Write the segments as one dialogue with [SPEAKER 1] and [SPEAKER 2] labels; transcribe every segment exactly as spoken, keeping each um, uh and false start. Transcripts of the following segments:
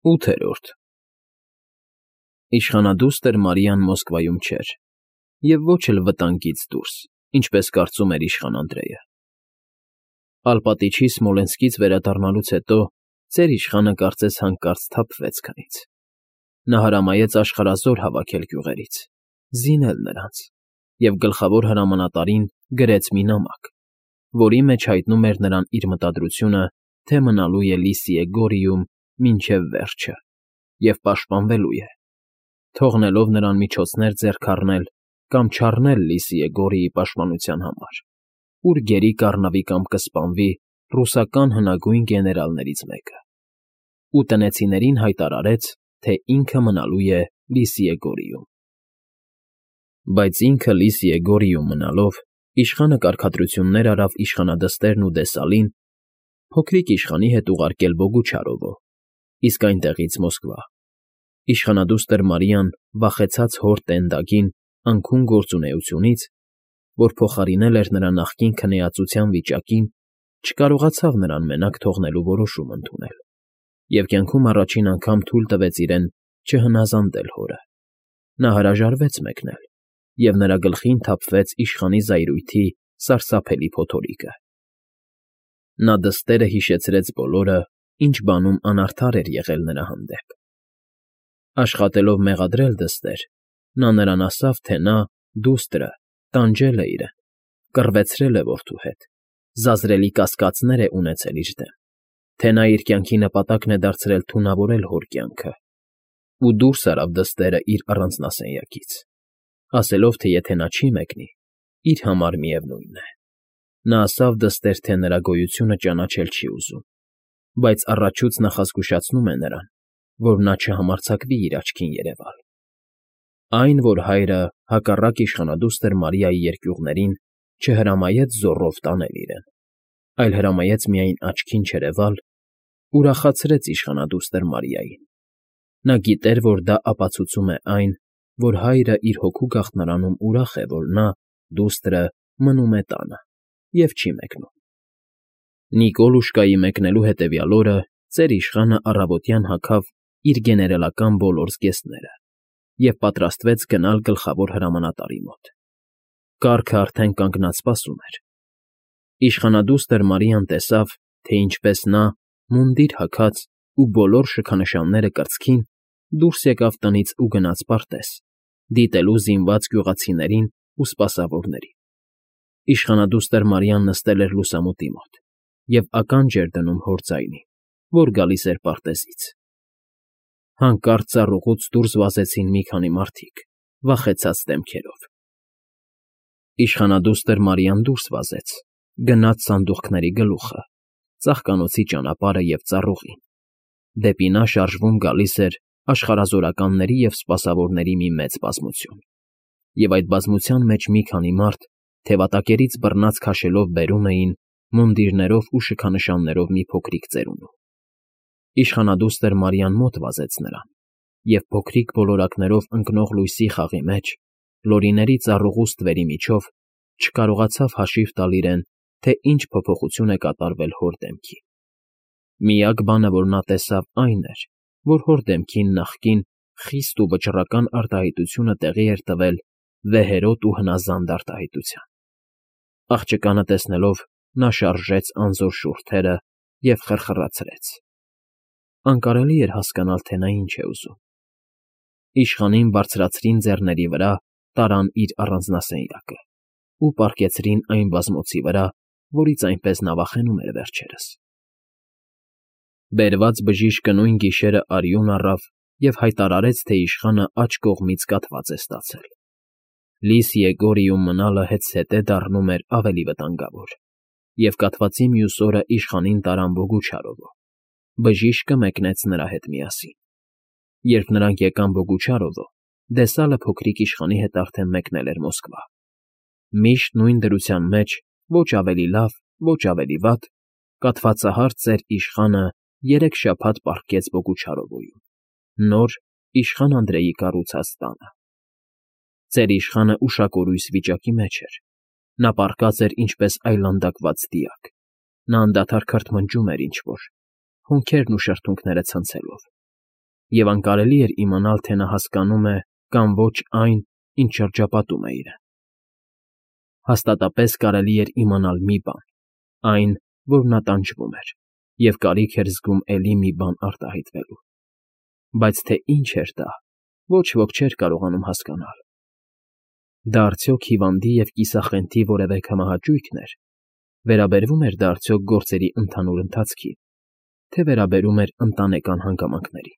[SPEAKER 1] ՈՒԹԵՐՈՐԴ Իշխանադուստր Մարիան Մոսկվայում չէր և ոչ էլ վտանգից դուրս, ինչպես կարծում էր իշխան Անդրեյը. Ալպատիչի Սմոլենսկից վերադառնալուց հետո ծեր իշխանը կարծես հանկարծ սթափվեց քնից. նա հրամայեց աշխարհազոր հավաքել գյուղերից, զինել նրանց և գլխավոր հրամանատարին գրեց մի նամակ, որի մեջ հայտնում էր նրան իր մտադրությունը, թե մնալու է Լիսիե Գորիում մինչև վերջը և պաշտպանվելու է, թողնելով նրան միջոցներ ձեռք առնել կամ չառնել Լիսիե Գորիի պաշտպանության համար, ուր գերի կառնվի կամ կսպանվի ռուսական հնագույն գեներալներից մեկը, ու տնեցիներին հայտարարեց, թե ինքը մնալու է Լիսիե Գորիում։ Բայց ինքը Լիսիե Գորիում մնալով, իշխանը կարգադրություններ արավ իշխանադստերն ու Դեսալին փոքրիկ իշխանի հետ ուղարկել Բոգուչարովո, իսկ այնտեղից Մոսկվա։ Իշխանադուստր Մարիան, վախեցած հոր տենդագին անքուն գործունեությունից, որ փոխարինել էր նրա նախկին քնեածության վիճակին, չկարողացավ նրան մենակ թողնելու որոշում ընդունել և կյանքում առաջին անգամ թույլ տվեց իրեն չհնազանդել հորը։ Նա հրաժարվեց մեկնել, և նրա գլխին թափվեց իշխանի զայրույթի սարսափելի փոթորիկը։ Նա դստերը հիշեցրեց բոլորը, ինչ բանում անարդար էր եղել նրա հանդեպ։ Աշխատելով մեղադրել դստեր, նա նրան ասավ, թե նա՝ դուստրը, տանջել է իրեն, կռվեցրել է որդու հետ, զազրելի կասկածներ է ունեցել իր դեմ, թե նա իր կյանքի նպատակն է դարձրել թունավորել հոր կյանքը, ու դուրս արավ դստերը իր առանձնասենյակից, ասելով, թե եթե նա չի մեկնի, իր համար միևնույն է։ Նա ասավ դստեր, թե նրա գոյությունը ճանաչել չի ուզում, բայց առաջուց նախազգուշացնում է նրան, որ նա չհամարձակվի իր աչքին երևալ։ Այն, որ հայրը, հակառակ իշխանադուստր Մարիայի երկյուղներին, չհրամայեց զոռով տանել իրեն, այլ հրամայեց միայն աչքին չերևալ, ուրախացրեց իշխանադուստր Մարիային։ Նա գիտեր, որ դա ապացուցում է այն, որ հայրը իր հոգու գաղթարանում ուրախ է, որ նա՝ դուստրը, մնում է տանը և չի մեկնում։ Նիկոլուշկայի մեկնելու հետևյալ օրը ծեր իշխանը առավոտյան հագավ իր գեներալական բոլոր զգեստները և պատրաստվեց գնալ գլխավոր հրամանատարի մոտ։ Կառքը արդեն կանգնած սպասում էր։ Իշխանադուստր Մարիան տեսավ, թե ինչպես նա, մունդիր հագած ու բոլոր շքանշանները կրծքին, դուրս եկավ տնից ու գնաց պարտեզ՝ դիտելու զինված գյուղացիներին ու սպասավորներին։ Իշխանադուստր Մարիան նստել էր լուսամուտի մոտ և ականջ էր դնում հոր ձայնին, որ գալիս էր պարտեզից։ Հանկարծ ծառուղուց դուրս վազեցին մի քանի մարդիկ՝ վախեցած դեմքերով։ Իշխանադուստր Մարիան դուրս վազեց, գնաց սանդուղքների գլուխը, ծաղկանոցի ճանապարհը և ծառուղին։ Դեպի նա շարժվում գալիս էր աշխարհազորականների և սպասավորների մի մեծ բազմություն, և այդ բազմության մեջ մի քանի մարդ թևատակերից բռնած քաշելով բերում էին մունդիրներով ու շքանշաններով մի փոքրիկ ծերունու։ Իշխանադուստր Մարիան մոտ վազեց նրան և փոքրիկ ոլորակներով ընկնող լույսի խաղի մեջ, լորիների ծառուղու ստվերի միջով, չկարողացավ հաշիվ տալ իրեն, թե ինչ փոփոխություն է կատարվել հոր դեմքին։ Միակ բանը, որ նա տեսավ, այն էր, որ հոր դեմքին նախկին խիստ ու վճռական արտահայտությունը տեղի էր տվել վեհերոտ ու հնազանդ արտահայտության։ Աղջկանը տեսնելով՝ նա շարժեց անզոր շուրթերը և խրխրացրեց։ Անկարելի էր հասկանալ, թե նա ինչ է ուզում։ Իշխանին բարձրացրին ձեռների վրա, տարան իր առանձնասենյակը ու պառկեցրին այն բազմոցի վրա, որից այնպես նա վախենում էր վերջերս։ Բերված բժիշկը նույն գիշերը արյուն առավ և հայտարարեց, թե իշխանը աջ կողմից կաթված է ստացել։ Լիսիե Գորիում մնալը հետզհետե դառնում էր ավելի վտանգավոր, և կաթվածի մյուս օրը իշխանին տարան Բոգուչարովո։ Բժիշկը մեկնեց նրա հետ միասին։ Երբ նրանք եկան Բոգուչարովո, Դեսալը փոքրիկ իշխանի հետ արդեն մեկնել էր Մոսկվա։ Միշտ նույն դրության մեջ, ոչ ավելի լավ, ոչ ավելի վատ, կաթվածահար ծեր իշխանը երեք շաբաթ պառկեց Բոգուչարովոյում, նոր, իշխան Անդրեյի կառուցած տանը։ Ծեր իշխանը ուշակորույս վիճակի մեջ էր։ Նա պառկած էր ինչպես այլանդակված դիակ։ Նա անդադար քրթմնջում էր ինչ֊որ, հոնքերն ու շրթունքները ցնցելով։ և անկարելի էր իմանալ, թե նա հասկանում է կամ ոչ այն, ինչ շրջապատում է իրեն։ Հաստատապես կարելի էր իմանալ մի բան. այն, որ նա տանջվում էր և կարիք էր զգում էլի մի բան արտահայտվելու։ Բայց թե ինչ էր դա, ոչ ոք չէր կարողանում հասկանալ։ Դա արդյոք հիվանդի և կիսախնդի որևէ քմահաճույքն էր, վերաբերվում էր դա արդյոք գործերի ընդհանուր ընթացքին, թե վերաբերում էր ընտանեկան հանգամանքներին։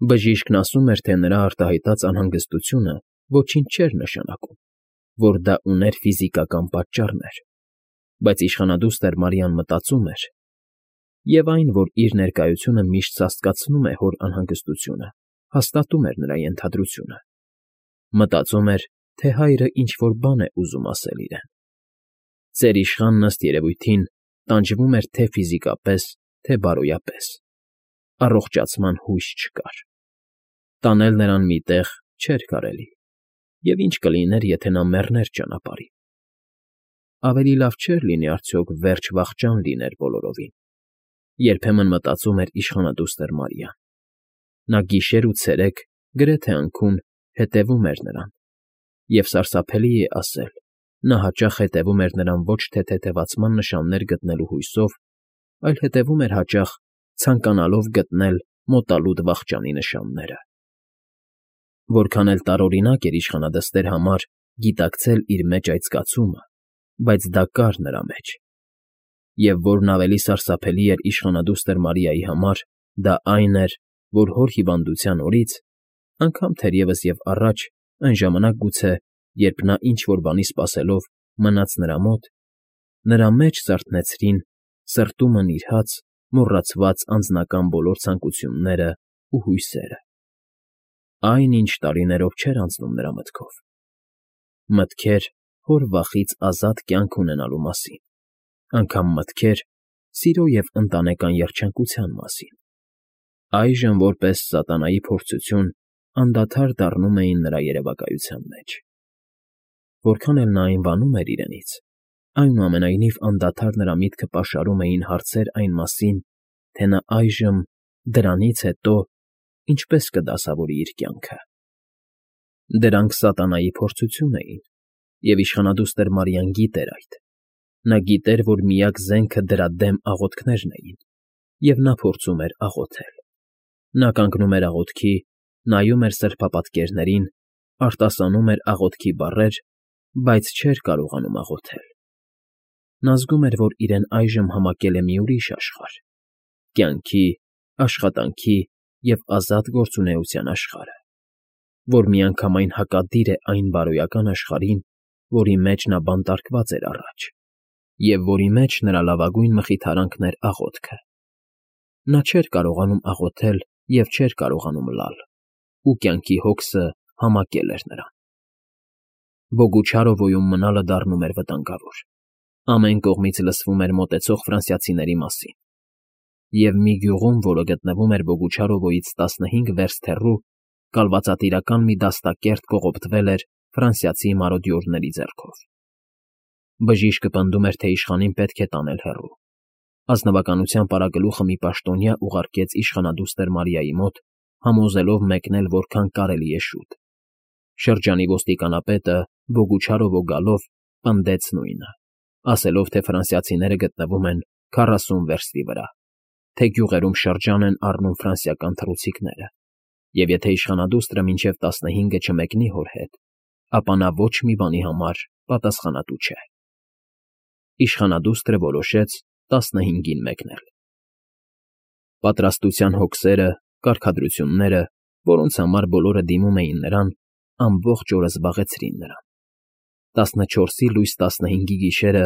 [SPEAKER 1] Բժիշկն ասում էր, թե նրա արտահայտած անհանգստությունը ոչինչ չէր նշանակում, որ դա ուներ ֆիզիկական պատճառներ, բայց իշխանադուստր Մարիան մտածում էր, և այն, որ իր ներկայությունը միշտ սաստկացնում է հոր անհանգստությունը, հաստատում էր նրա ենթադրությունը։ Մտածում էր, թե հայրը ինչ֊որ բան է ուզում ասել իրեն։ Ծեր իշխանն, ըստ երևույթին, տանջվում էր թե՛ ֆիզիկապես, թե՛ բարոյապես։ Առողջացման հույս չկար։ Տանել նրան մի տեղ չէր կարելի, և ինչ կլիներ, եթե նա մեռներ ճանապարհին։ Ավելի լավ չէր լինի արդյոք վերջ֊վախճան լիներ բոլորովին, երբեմն մտածում էր իշխանադուստր Մարիան։ Նա գիշեր ու ցերեկ գրեթե անքուն հետևում էր նրան, և սարսափելի է ասել, նա հաճախ հետևում էր նրան ոչ թե թեթևացման նշաններ գտնելու հույսով, այլ հետևում էր հաճախ, ցանկանալով գտնել մոտալուտ վախճանի նշանները։ Որքան էլ տարօրինակ էր իշխանադստեր համար գիտակցել իր մեջ այդ զգացումը, բայց դա կար նրա մեջ։ Եվ որն ավելի սարսափելի էր իշխանադուստր Մարիայի համար, դա այն էր, որ հոր հիվանդության օրից, անգամ թերևս և առաջ, այն ժամանակ գուցե, երբ նա ինչ֊որ բանի սպասելով մնաց նրա մոտ, նրա մեջ զարթնեցրին սրտումը նիրհած, մոռացված անձնական բոլոր ցանկություններն ու հույսերը։ Այն, ինչ տարիներով չէր անցնում նրա մտքով։ Մտքեր հոր վախից ազատ կյանք ունենալու մասին, անգամ մտքեր սիրո և ընտանեկան երջանկության մասին։ Այժմ, որպես սատանայի փորձություն, անդադար դառնում էին նրա երևակայության մեջ։ Որքան էլ նա այն վանում էր իրենից, այնուամենայնիվ անդադար նրա միտքը պաշարում էին հարցեր այն մասին, թե նա այժմ, դրանից հետո, ինչպես կդասավորի իր կյանքը։ Դրանք սատանայի փորձություն էին, և իշխանադուստր Մարիան գիտեր այդ։ Նա գիտեր, որ միակ զենքը դրա դեմ աղոթքներն էին, և նա փորձում էր աղոթել։ Նա կանգնում էր աղոթքի, նայում էր սրբապատկերներին, արտասանում էր աղոթքի բառեր, բայց չէր կարողանում աղոթել։ Նա զգում էր, որ իրեն այժմ համակել է մի ուրիշ աշխարհ՝ կյանքի, աշխատանքի և ազատ գործունեության աշխարհը, որ միանգամայն հակադիր է այն բարոյական աշխարհին, որի մեջ նա բանտարկված էր առաջ, և որի մեջ նրա լավագույն մխիթարանքն էր աղոթքը։ Նա չէր կարողանում աղոթել և չէր կարողանում լալ, ու կյանքի հոգսը համակել էր նրան։ Բոգուչարովոյում մնալը դառնում էր վտանգավոր։ Ամեն կողմից լսվում էր մոտեցող ֆրանսիացիների մասին, և մի գյուղում, որը գտնվում էր Բոգուչարովոյից տասնհինգ վերստ հեռու, կալվածատիրական մի դաստակերտ կողոպտվել էր ֆրանսիացի մարոդյորների ձեռքով։ Բժիշկը պնդում էր, թե իշխանին պետք է տանել հեռու։ Ազնվականության պարագլուխը մի պաշտոնյա ուղարկեց իշխանադուստր Մարիայի մոտ, համոզելով մեկնել որքան կարելի է շուտ։ Շրջանի ոստիկանապետը, Բոգուչարովո գալով, պնդեց նույնը, ասելով, թե ֆրանսիացիները գտնվում են քառասուն վերստի վրա, թե գյուղերում շրջան են առնում ֆրանսիական թռուցիկները, և եթե իշխանադուստրը մինչև տասնհինգը չմեկնի հոր հետ, ապա նա ոչ մի բանի համար պատասխանատու չէ։ Իշխանադուստրը որոշեց տասնհինգին մեկնել։ Պատրաստության հոգսերը, կարգադրությունները, որոնց համար բոլորը դիմում էին նրան, ամբողջ օրը զբաղեցրին նրան։ Տասնչորսի լույս տասնհինգի գիշերը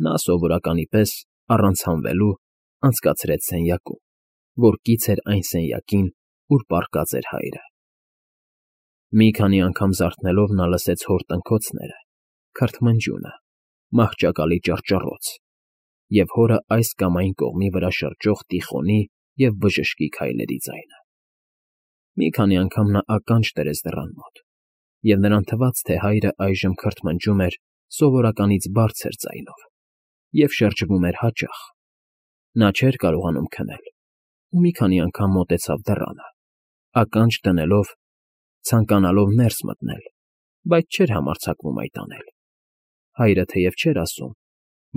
[SPEAKER 1] նա, սովորականի պես, առանց հանվելու, անցկացրեց սենյակում, որ կից էր այն սենյակին, ուր պառկած էր հայրը։ Մի քանի անգամ զարթնելով՝ նա լսեց հոր տնքոցները, քրթմնջյունը, մահճակալի ճռճռոց և հորը այս կամ այն կողմի վրա շրջող Տիխոնի և բժշկի քայլերի ձայնը։ Մի քանի անգամ նա ականջ դրեց դռան մոտ, և նրան թվաց, թե հայրը այժմ քրթմնջում էր սովորականից բարձր ձայնով և շրջվում էր հաճախ։ Նա չէր կարողանում քնել ու մի քանի անգամ մոտեցավ դռանը, ականջ դնելով, ցանկանալով ներս մտնել, բայց չէր համարձակվում այդ անել. հայրը թեև չէր ասում,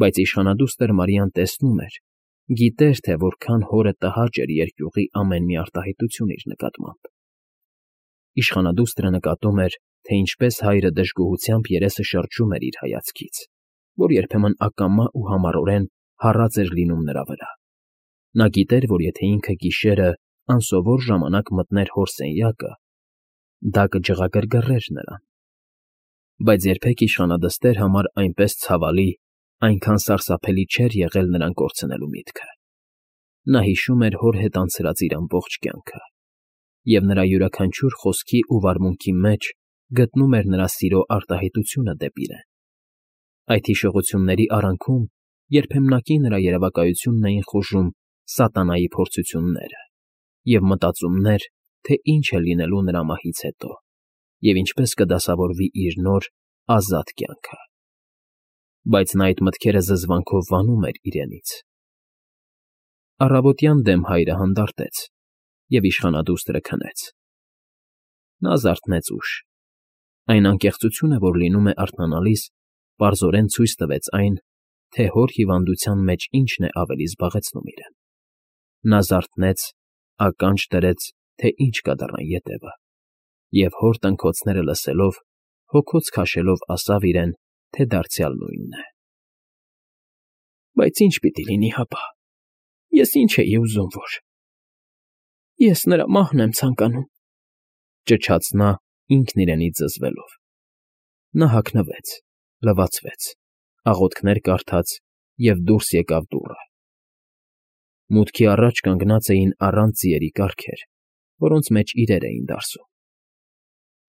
[SPEAKER 1] բայց իշխանադուստր Մարիան տեսնում էր, գիտեր, թե որքան հորը տհաճ էր երկյուղի ամեն մի արտահայտություն իր նկատմամբ. իշխանադուստրը նկատում էր, թե ինչպես հայրը դժգոհությամբ երեսը շրջում էր իր հայացքից, որ երբեմն ակամա ու համառորեն հառած էր լինում նրա վրա. նա գիտեր, որ եթե ինքը գիշերը անսովոր ժամանակ մտներ հոր սենյակը, դա կջղագրգռեր նրան, բայց երբեք իշխանադստեր համար այնպես ցավալի, այնքան սարսափելի չէր եղել նրան կորցնելու միտքը. նա հիշում էր հոր հետ անցրած իր ամբողջ կյանքը, և նրա յուրաքանչյուր խոսքի ու վարմունքի մեջ գտնում էր նրա սիրո արտահայտությունը դեպի իրեն. այդ հիշողությունների արանքում երբեմնակի նրա երևակայությունն էին խուժում սատանայի փորձությունները և մտածումներ, թե ինչ է լինելու նրա մահից հետո, և ինչպես կդասավորվի իր նոր, ազատ կյանքը. բայց նա այդ մտքերը զզվանքով վանում էր իրենից. Առավոտյան դեմ հայրը հանդարտեց, և իշխանադուստրը քնեց. նա զարթնեց ուշ. այն անկեղծությունը, որ լինում է արթնանալիս, պարզորեն ցույց տվեց այն, թե հոր հիվանդության մեջ ինչն է ավելի զբաղեցնում իրեն. նա զարթնեց, ականջ դրեց, թե ինչ կա դռան ետևը, և հոր տնքոցները լսելով, հոգոց քաշելով ասավ իրեն, թե դարձյալ նույնն է. Բայց ինչ պիտի լինի հապա, ես ինչ էի ուզում որ… Ես նրա մահն եմ ցանկանում, ճչաց նա ինքն իրենից զզվելով. նա հագնվեց, լվացվեց, աղոթքներ կարդաց և դուրս եկավ դուռը. մուտքի առաջ կանգնած էին առանց ձիերի կառքեր, որոնց մեջ իրեր էին դարսում.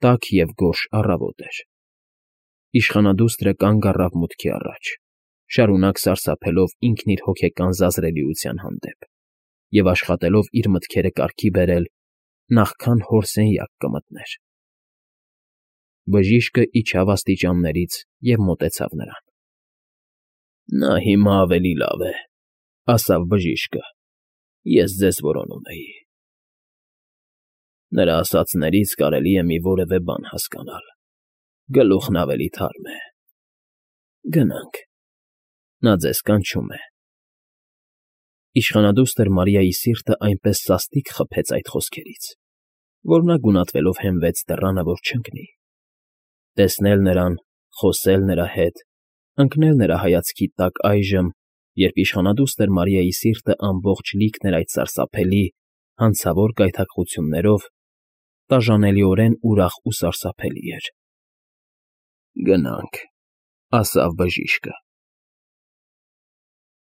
[SPEAKER 1] տաք և գորշ առավոտ էր. իշխանադուստրը կանգ առավ մուտքի առաջ, շարունակ սարսափելով ինքն իր հոգեկան զազրելիության հանդեպ և աշխատելով իր մտքերը կարգի բերել, նախքան հոր սենյակ կմտներ. բժիշկը իջավ աստիճաններից և մոտեցավ նրան. նա հիմա ավելի լավ է, ասավ բժիշկը, ես ձեզ որոնում էի… նրա ասածներից կարելի է մի որևէ բան հասկանալ, գլուխն ավելի թարմ է… գնանք, նա ձեզ կանչում է… Իշխանադուստր Մարիայի սիրտը այնպես սաստիկ խփեց այդ խոսքերից, որ նա գունատվելով հենվեց դռանը, որ չընկնի… տեսնել նրան, խոսել նրա հետ, ընկնել նրա հայացքի տակ այժմ, երբ իշխանադուստր Մարիայի սիրտը ամբողջ լիքն էր այդ սարսափելի, հանցավոր կայթակղություններով, տաժանելիորեն ուրախ ու սարսափելի էր… Գնանք, ասավ բժիշկը։